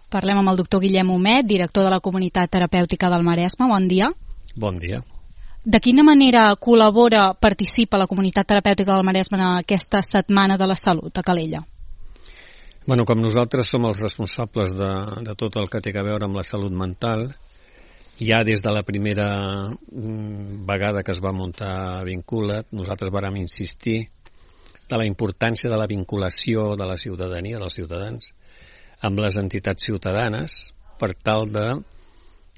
Parlem amb el doctor Guillem Homet, director de la Comunitat Terapèutica del Maresme. Bon dia. Bon dia. De quina manera col·labora, participa la Comunitat Terapèutica del Maresme en aquesta Setmana de la Salut a Calella? Bueno, com nosaltres som els responsables de tot el que té a veure amb la salut mental, ja des de la primera vegada que es va muntar Vincula't, nosaltres vàrem insistir de la importància de la vinculació de la ciutadania, dels ciutadans, amb les entitats ciutadanes per tal de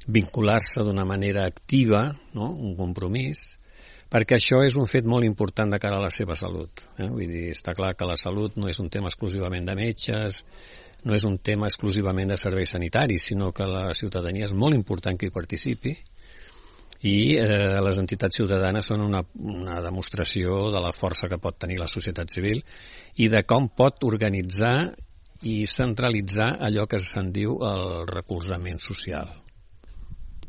vincular-se d'una manera activa, no? Un compromís, perquè això és un fet molt important de cara a la seva salut. Vull dir, està clar que la salut no és un tema exclusivament de metges, no és un tema exclusivament de serveis sanitaris, sinó que la ciutadania és molt important que hi participi i les entitats ciutadanes són una demostració de la força que pot tenir la societat civil i de com pot organitzar i centralitzar allò que se'n diu el recolzament social.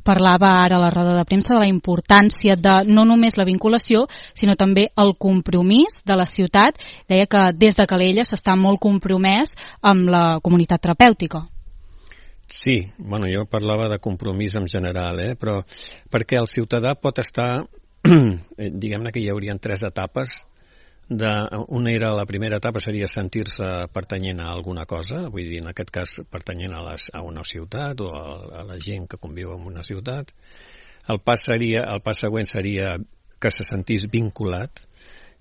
Parlava ara a la roda de premsa de la importància de no només la vinculació, sinó també el compromís de la ciutat. Deia que des de Calella s'està molt compromès amb la comunitat terapèutica. Sí, bueno, jo parlava de compromís en general, però perquè el ciutadà pot estar, diguem-ne que hi haurien 3 etapes. Una era, la primera etapa seria sentir-se pertanyent a alguna cosa, vull dir, en aquest cas pertanyent a una ciutat o a la gent que conviu en una ciutat. El pas següent seria que se sentís vinculat,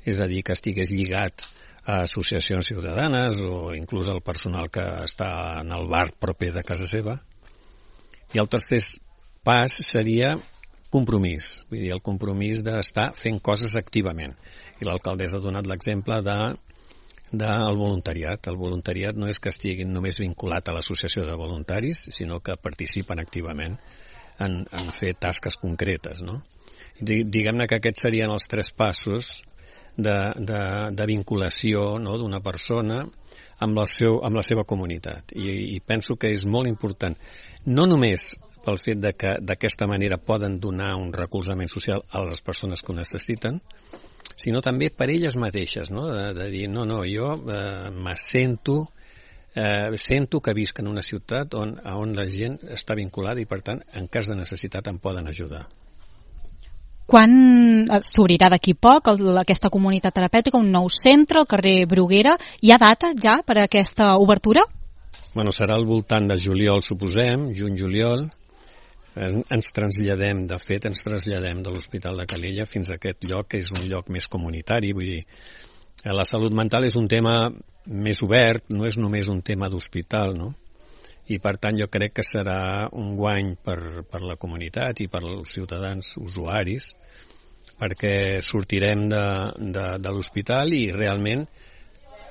és a dir, que estigués lligat a associacions ciutadanes o inclús al personal que està en el bar proper de casa seva. I el tercer pas seria compromís, vull dir, el compromís d'estar fent coses activament. I l'alcaldessa ha donat l'exemple del voluntariat. El voluntariat no és que estiguin només vinculat a l'associació de voluntaris, sinó que participen activament en fer tasques concretes, no? Diguem-ne que aquests serien els 3 passos de vinculació, no?, d'una persona amb la seva comunitat. I penso que és molt important, no només pel fet que d'aquesta manera poden donar un recolzament social a les persones que ho necessiten, sinó també per elles mateixes, no? De dir, no, jo sento que visc en una ciutat on la gent està vinculada i, per tant, en cas de necessitat em poden ajudar. Quan s'obrirà d'aquí poc aquesta comunitat terapèutica, un nou centre al carrer Bruguera? Hi ha data ja per a aquesta obertura? Bueno, serà al voltant de juliol, suposem, juny-juliol. Ens traslladem de l'Hospital de Calella fins a aquest lloc, que és un lloc més comunitari. Vull dir, la salut mental és un tema més obert, no és només un tema d'hospital, no? I per tant jo crec que serà un guany per la comunitat i per als ciutadans usuaris, perquè sortirem de l'hospital i realment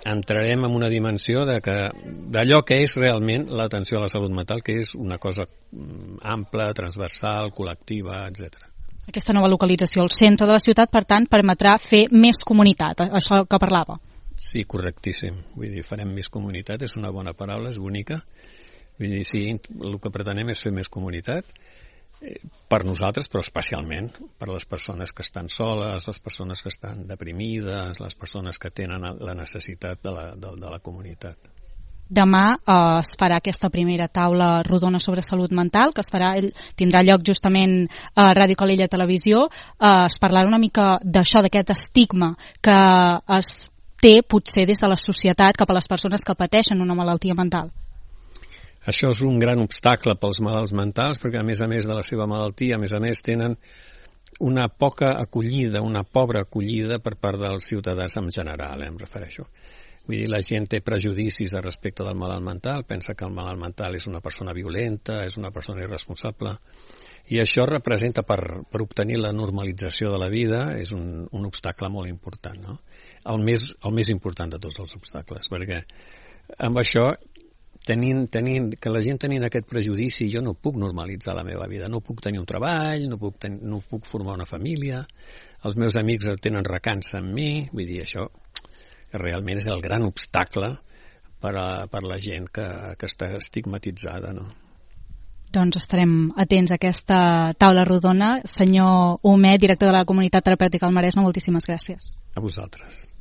entrarem en una dimensió d'allò que és realment l'atenció a la salut mental, que és una cosa ampla, transversal, col·lectiva, etc. Aquesta nova localització al centre de la ciutat, per tant, permetrà fer més comunitat, això que parlava. Sí, correctíssim. Vull dir, farem més comunitat, és una bona paraula, és bonica. Vull dir, sí, el que pretenem és fer més comunitat, per nosaltres, però especialment per les persones que estan soles, les persones que estan deprimides, les persones que tenen la necessitat de la comunitat. Demà es farà aquesta primera taula rodona sobre salut mental, que tindrà lloc justament a Ràdio Calella Televisió. Es parlarà una mica d'això, d'aquest estigma que es té potser des de la societat cap a les persones que pateixen una malaltia mental. Això és un gran obstacle pels malalts mentals, perquè a més de la seva malaltia, a més tenen una poca acollida, una pobra acollida per part dels ciutadans en general, em refereixo. Vull dir, la gent té prejudicis respecte del malalt mental, pensa que el malalt mental és una persona violenta, és una persona irresponsable, i això representa, per obtenir la normalització de la vida, és un obstacle molt important, no? El més important de tots els obstacles, perquè amb això que la gent tenint aquest prejudici, jo no puc normalitzar la meva vida, no puc tenir un treball, no puc formar una família, els meus amics tenen recança en mi, vull dir, això realment és el gran obstacle per la gent que està estigmatitzada, no? Doncs estarem atents a aquesta taula rodona. Senyor Homet, director de la Comunitat Terapèutica del Maresme, moltíssimes gràcies. A vosaltres.